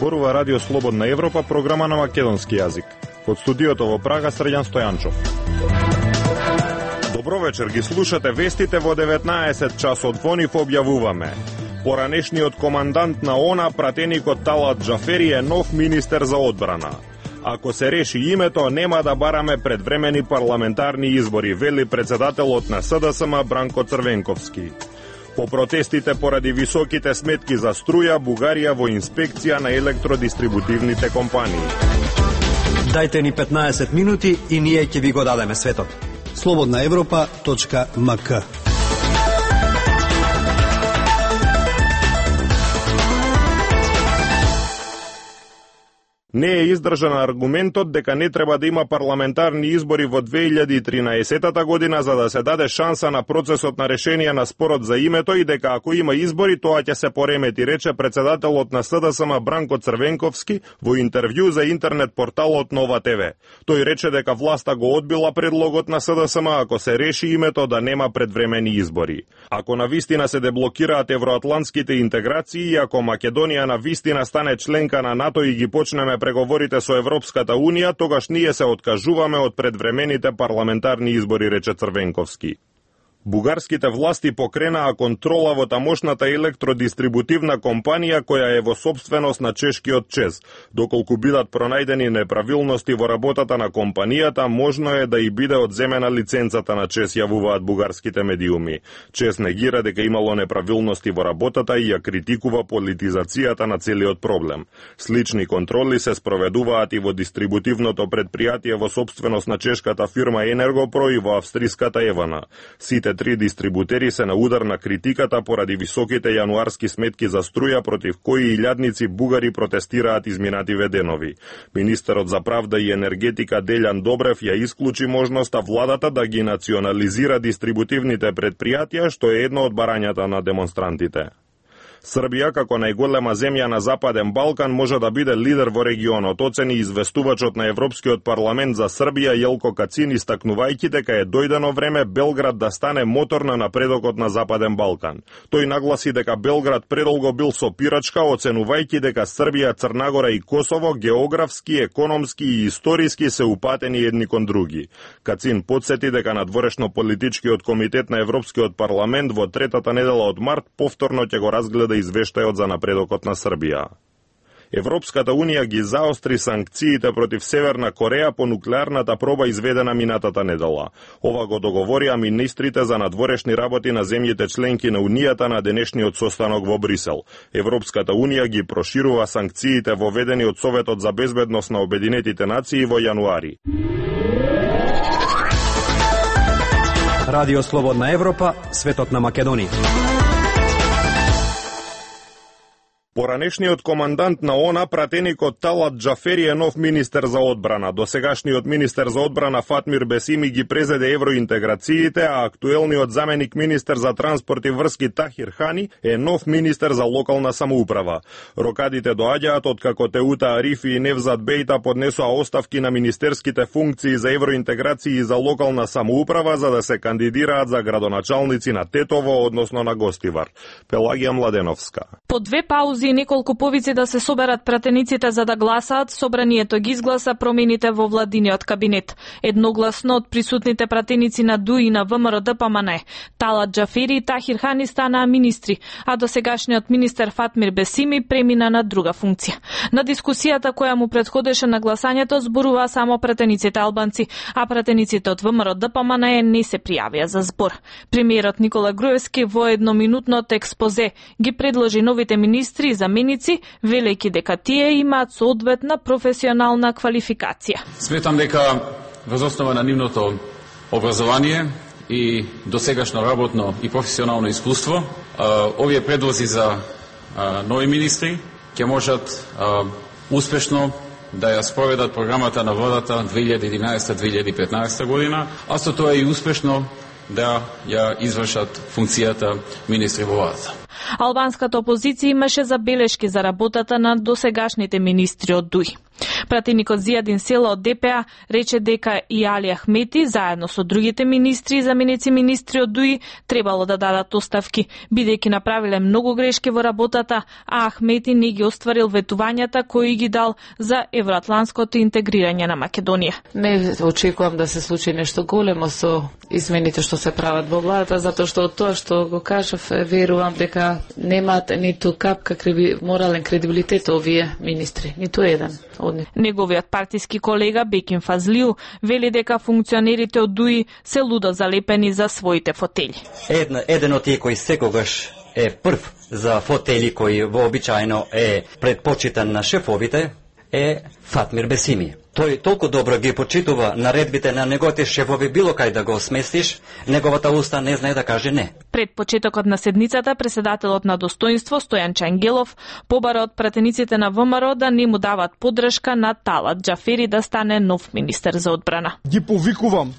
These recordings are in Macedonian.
Зборува Радио Слободна Европа, програма на македонски јазик. Од студиото во Прага, Срđan Стојанчов. Добро вечер, ги слушате вестите во 19 часот. Во нив објавуваме: поранешниот командант на ОНА, пратеникот Талат Џафери, е нов министер за одбрана. Ако се реши името, нема да бараме предвремени парламентарни избори, вели председателот на СДСМ Бранко Црвенковски. По протестите поради високите сметки за струја, Бугарија во инспекција на електродистрибутивните компании. Дајте ни 15 минути и ние ќе ви го дадеме светот. slobodnaevropa.mk. Не е издржан аргументот дека не треба да има парламентарни избори во 2013 година за да се даде шанса на процесот на решение на спорот за името и дека ако има избори тоа ќе се поремети, рече председателот на СДСМ Бранко Црвенковски во интервју за интернет порталот Нова ТВ. Тој рече дека власта го одбила предлогот на СДСМ ако се реши името да нема предвремени избори. Ако на вистина се деблокираат евроатлантските интеграции и ако Македонија на вистина стане членка на НАТО и ги почнеме преговорите со Европската Унија, тогаш ние се откажуваме од предвремените парламентарни избори, рече Црвенковски. Бугарските власти покренаа контрола во тамошната електродистрибутивна компанија која е во собственост на чешкиот ЧЕЗ. Доколку бидат пронајдени неправилности во работата на компанијата, можно е да и биде одземена лиценцата на ЧЕЗ, јавуваат бугарските медиуми. ЧЕЗ негира дека имало неправилности во работата и ја критикува политизацијата на целиот проблем. Слични контроли се спроведуваат и во дистрибутивното предпријатие во собственост на чешката фирма Енергопро и во австриската Евана. Сите три дистрибутери се на удар на критиката поради високите јануарски сметки за струја против кои илјадници бугари протестираат изминативе денови. Министерот за правда и енергетика Дељан Добрев ја исклучи можноста владата да ги национализира дистрибутивните предпријатија, што е едно од барањата на демонстрантите. Србија, како најголема земја на Западен Балкан, може да биде лидер во регионот, оцени известувачот на Европскиот парламент за Србија Јелко Кацин, истакнувајќи дека е дојдено време Белград да стане мотор на напредокот на Западен Балкан. Тој нагласи дека Белград предолго бил сопирачка, оценувајќи дека Србија, Црнагора и Косово географски, економски и историски се упатени едни кон други. Кацин подсети дека надворешно-политичкиот комитет на Европскиот парламент во третата недела од март повторно ќе го разгледа извештајот за напредокот на Србија. Европската Унија ги заостри санкциите против Северна Кореја по нуклеарната проба изведена минатата недела. Ова го договорија министрите за надворешни работи на земјите членки на Унијата на денешниот состанок во Брисел. Европската Унија ги проширува санкциите воведени од Советот за безбедност на Обединетите нации во јануари. Радио Слободна Европа, светот на Македонија. Поранешниот командант на ОНА, пратеникот Талат Џафери, е нов министер за одбрана. Досегашниот министер за одбрана Фатмир Бесими ги презеде евроинтеграциите, а актуелниот заменик министер за транспорт и врски Тахир Хани е нов министер за локална самоуправа. Рокадите доаѓаат откако Теута Арифи и Невзат Бејта поднесоа оставки на министерските функции за евроинтеграција и за локална самоуправа за да се кандидираат за градоначалници на Тетово, односно на Гостивар. Пелагија Младеновска. По две паузи и неколку повици да се соберат пратениците за да гласаат, собранието ги изгласа промените во владиниот кабинет. Едногласно од присутните пратеници на ДУ и на ВМРО ДПМН, Талат Џафери и Тахир Хани станаа министри, а досегашниот министер Фатмир Бесими премина на друга функција. На дискусијата која му претходеше на гласањето зборуваа само пратениците албанци, а пратениците од ВМРО ДПМН не се пријавија за збор. Премиерот Никола Груевски во едноминутното експозе ги предложи новите министри и заменици, велејќи дека тие имаат соодветна професионална квалификација. Сметам дека врз основа на нивното образование и досегашно работно и професионално искуство, овие предлози за нови министри ќе можат успешно да ја спроведат програмата на владата 2011-2015 година, а со тоа и успешно да ја извршат функцијата министри во владата. Албанската опозиција имаше забелешки за работата на досегашните министри од ДУИ. Пратеникот Зијадин Села од ДПА рече дека и Али Ахмети, заедно со другите министри и заменици министри од ДУИ, требало да дадат оставки, бидејќи направиле многу грешки во работата, а Ахмети не ги остварил ветувањата кои ги дал за евроатлантското интегрирање на Македонија. Не очекувам да се случи нешто големо со измените што се прават во владата, затоа што од тоа што го кажав, верувам дека немаат ниту капка морален кредибилитет овие министри, ниту еден од нив. Неговиот партиски колега Бекин Фазлиу вели дека функционерите од ДУИ се лудо залепени за своите фотели. Еден од тие кои секогаш е прв за фотели кои вообичаено е предпочитан на шефовите е Фатмир Бесими. Тој толку добро ги почитува наредбите на неговите шефови, било кај да го сместиш, неговата уста не знае да каже не. Пред почетокот на седницата, преседателот на Достоинство Стојан Чангелов побара од пратениците на ВМРО да не му дават поддршка на Талат Џафери да стане нов министер за одбрана. Ги повикувам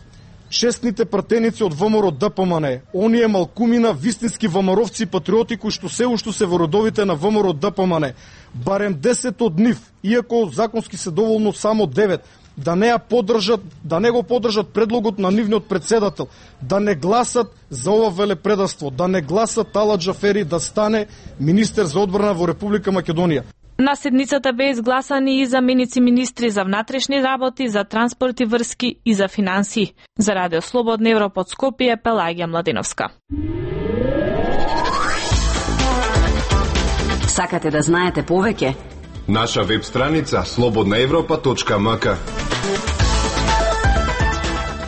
честните пратеници од ВМРО ДПМН, оние малкумина, вистински ВМРО-вци патриоти кои што се уште се во родовите на ВМРО ДПМН, барем 10 од нив, иако законски се доволно само 9, да не ја поддржат, да не го поддржат предлогот на нивниот председател, да не гласат за ова велепредавство, да не гласат Талат Џафери да стане министер за одбрана во Република Македонија. На седницата беа изгласани и заменици министри за внатрешни работи, за транспорт и врски и за финансии. За Радио Слободна Европа од Скопје, Пелагија Младиновска. Сакате да знаете повеќе? Наша веб страница slobodnaevropa.mk.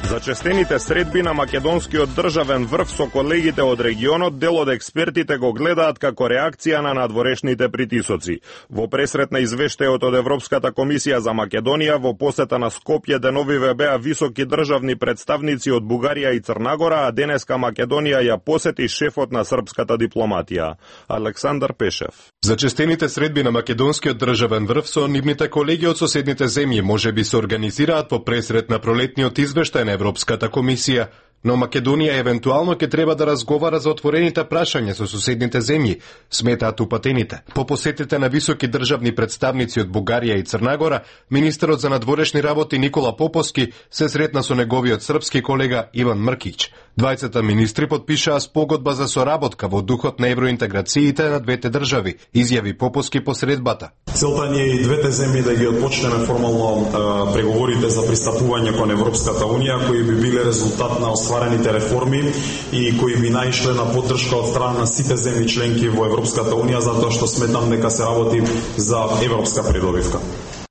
Зачестените средби на македонскиот државен врв со колегите од регионот, дел од експертите го гледаат како реакција на надворешните притисоци. Во пресрет на извештајот од Европската комисија за Македонија во посета на Скопје деновиве беа високи државни представници од Бугарија и Црнагора, а денеска Македонија ја посети шефот на српската дипломатија, Александар Пешев. Зачестените средби на македонскиот државен врв со нивните колеги од соседните земји можеби се организираат по пресрет на пролетниот извештај на Европската комисија, но Македонија евентуално ќе треба да разговара за отворените прашања со соседните земји, сметаат упатените. По посетите на високи државни представници од Бугарија и Црнагора, министерот за надворешни работи Никола Поповски се сретна со неговиот српски колега Иван Мркич. Двајцата министри подпишаа спогодба за соработка во духот на евроинтеграциите на двете држави, изјави Поповски по средбата. Целта ни е и двете земји да ги отпочнеме формално преговорите за пристапување кон Европската унија, кои би биле резултат на остварените реформи и кои би наишле на поддршка од страна на сите земји членки во Европската унија, затоа што сметам дека се работи за европска придобивка.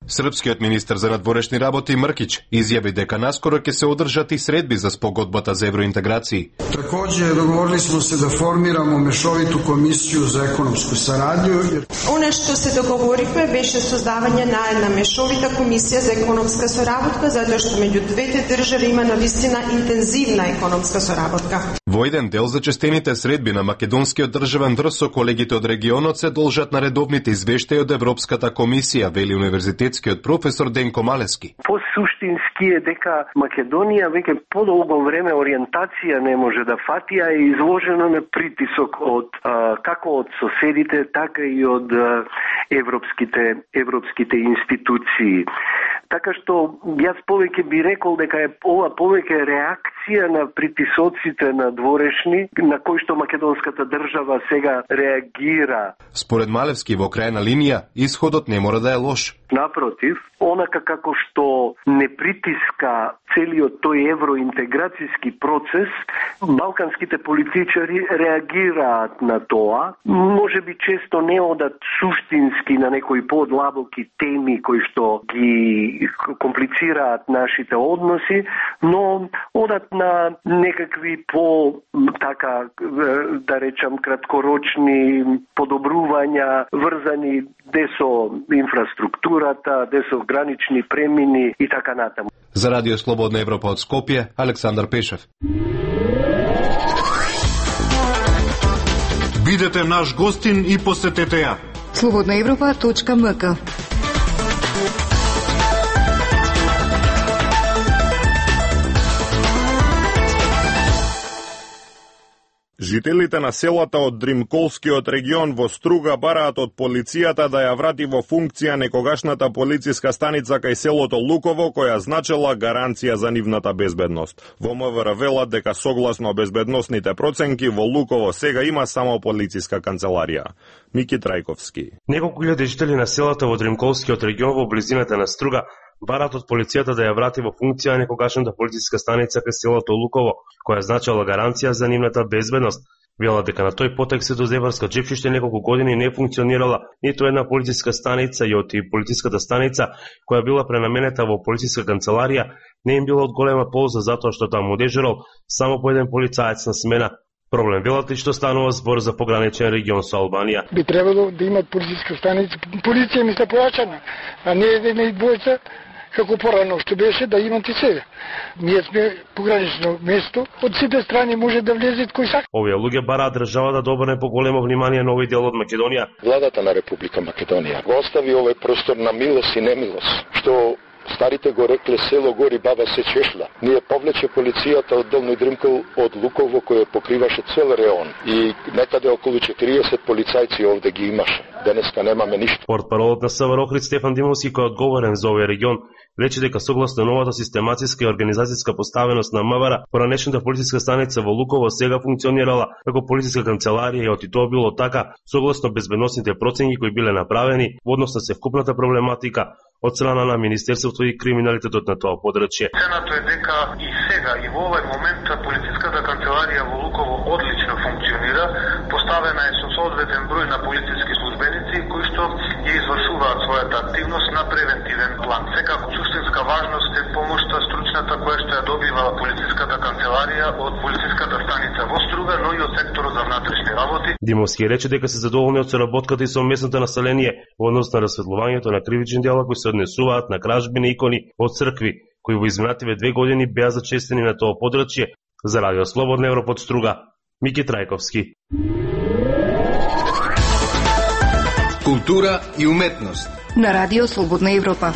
Српскиот министер за надворешни работи Мркич изјави дека наскоро ќе се одржат и средби за спогодбата за евроинтеграции. Такоđe договорили smo se da formiramo mešovitu komisiju za ekonomsku saradnju. Ono što se dogovorихме беше создавање на една мешовита комисија за економска соработка, затоа што меѓу двете држави има навистина интензивна економска соработка. Во еден дел зачестените средби на македонскиот државен врв со колегите од регионот се должат на редовните извештаи од Европската комисија, вели универзитетскиот професор Денко Малески. Посуштински е дека Македонија веќе подолго време ориентација не може да фати, а е изложено на притисок од како од соседите, така и од европските институции. Така што јас повеќе би рекол дека е ова повеќе реакција на притисоците на дворешни, на кои што македонската држава сега реагира. Според Малевски, во крајна линија, исходот не мора да е лош. Напротив, онака како што не притиска целиот тој евроинтеграцијски процес, балканските политичари реагираат на тоа. Може би често не одат суштински на некои подлабоки теми кои што ги комплицираат нашите односи, но одат на некакви така да речам краткорочни подобрувања врзани десо инфраструктурата, десо гранични премини и така натаму. За Радио Слободна Европа од Скопје, Александар Пешев. Бидете наш гостин и посетете ја. slobodnaevropa.mk. Жителите на селата од Дримколскиот регион во Струга бараат од полицијата да ја врати во функција некогашната полициска станица кај селото Луково, која значела гаранција за нивната безбедност. Во МВР велат дека согласно безбедносните проценки во Луково сега има само полициска канцеларија. Мики Трајковски. Неколку илјади жители на селата во Дримколскиот регион во близината на Струга бараат од полицијата да ја врати во функција некогашната полициска станица кај селото Луково, која значела гаранција за нивната безбедност. Велат дека на тој потек се до Зебарска Джепчиште неколку години не функционирала ниту една полициска станица и од полициската станица, која била пренаменета во полициска канцеларија, не им била од голема полза затоа што таму дежурал само по еден полицаец на смена. Проблем велат и што станува збор за пограничен регион со Албанија. Би требало да имат полициска станица. Полиција ми се појачана, а не еден и двојца, како порано што беше да имат и сега. Ние сме погранично место, од сите страни може да влезет кој сака. Овие луѓе бараат држава да обрне поголемо внимание на овој дел од Македонија. Владата на Република Македонија го остави овој простор на милост и немилост, што старите го рекле село гори баба се чешла. Ние повлече полицијата од Долни Дримкол од Луково кој покриваше цел реон и некаде околу 40 полицајци овде ги имаше. Денеска немаме ништо. Портпаролот на СВР Охрид Стефан Димовски, кој е одговорен за овој регион, рече дека согласно новата систематиска и организацијска поставеност на МВР, поранешната полициска станица во Луково сега функционирала како полициска канцеларија и оти тоа било така согласно безбедносните проценки кои биле направени во однос на севкупната проблематика од страна на Министерството и криминалитетот на тоа подрачје. Цената е дека и сега и во овој момент полициската канцеларија во Луково одлично функционира, поставена е со соодветен број на полициски службеници кои што ја извршуваат својата активност на превентивен план. Секако суштинска важност е помошта стручната која што ја добива полициската канцеларија од полициската станица во Струга, но и од секторот за внатрешни работи. Димовски рече дека се задоволни од соработката и со местното население во однос на расветлувањето на кривични дела кои се однесуваат на кражби на икони од цркви, кои во изминативе 2 години беа зачестени на тоа подрачје. За Радио Слободна Европа од Струга, Мики Трајковски. Култура и уметност на Радио Слободна Европа.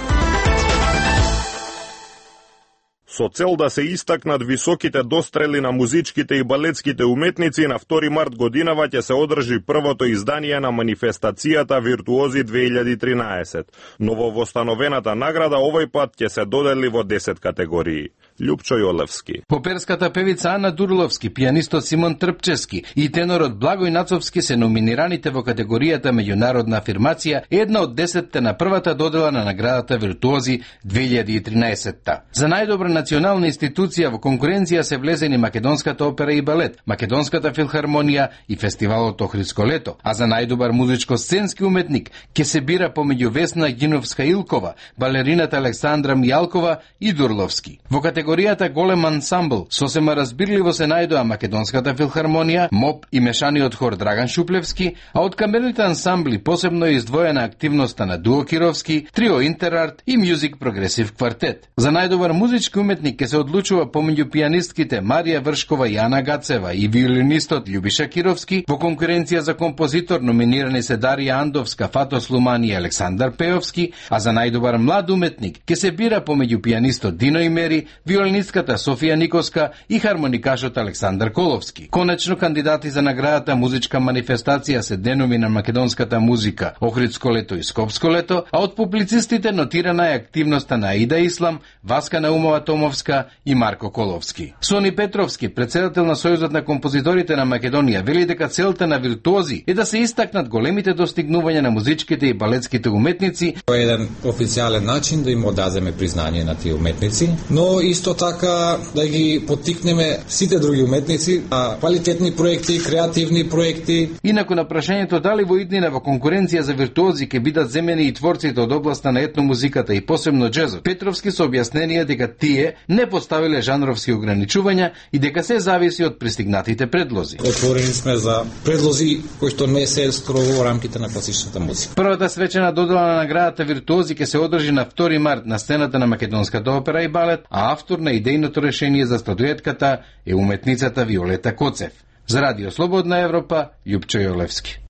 Со цел да се истакнат високите дострели на музичките и балетските уметници, на 2 март годинава ќе се одржи првото издание на манифестацијата Виртуози 2013. Нововостановената награда овој пат ќе се додели во 10 категории. Љупчо Јолевски. Поперската певица Ана Дурловски, пијанистот Симон Трпчевски и тенорот Благој Нацовски се номинираните во категоријата меѓународна афирмација, една од 10 на првата додела на наградата Виртуози 2013. За најдобра национална институција во конкуренција се влезени Македонската опера и балет, Македонската филхармонија и фестивалот Охридско лето, а за најдобар музичко-сценски уметник ќе се бира помеѓу Весна Гиновска-Илкова, балерината Александра Мијалкова и Дурловски. Во категоријата голем ансамбл сосема разбирливо се најдоа Македонската филхармонија, МОП и мешаниот хор Драган Шуплевски, а од камерните ансамбли посебно е издвоена активноста на Дуо Кировски, Трио Интерарт и Мюзик Прогресив квартет. За најдобар музички уметник ќе се одлучува помеѓу пијанистките Марија Вршкова и Ана Гацева и виолинистот Љубиша Кировски. Во конкуренција за композитор номинирани се Дарија Андовска, Фато Слумани и Александар Пеовски, а за најдобар млад уметник ќе се бира помеѓу пијанистот Дино Имери, виолинистката Софија Никоска и хармоникашот Александар Коловски. Конечно кандидати за наградата музичка манифестација се деноми на македонската музика Охридско лето и Скопско лето, а од публицистите нотирана е активноста на Аида Ислам, Васка Наумова Томовска и Марко Коловски. Сони Петровски, председател на Сојузот на композиторите на Македонија, вели дека целта на Виртуози е да се истакнат големите достигнувања на музичките и балетските уметници. Тоа е еден официјален начин да им одаземе признање на тие уметници, но исто така да ги поттикнеме сите други уметници на квалитетни проекти, креативни проекти. Инаку на прашањето дали во иднина во конкуренција за Виртуози ќе бидат земени и творците од областа на етномузиката и посебно джезот, Петровски со објаснение дека тие не поставиле жанровски ограничувања и дека се зависи од пристигнатите предлози. Отворени сме за предлози кои што не се скрово во рамките на класичната музика. Првата свечена додела на наградата Виртуози ќе се одржи на 2 март на сцената на Македонската опера и балет, а автор на идејното решение за статуетката е уметницата Виолета Коцев. За Радио Слободна Европа, Љупчо Јолевски.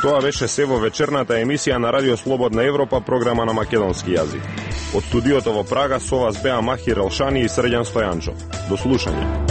Тоа беше се во вечерната емисија на Радио Слободна Европа, програма на македонски јазик. Од студиото во Прага со вас беа Махир Елшани и Срđan Стојанчов. До слушање.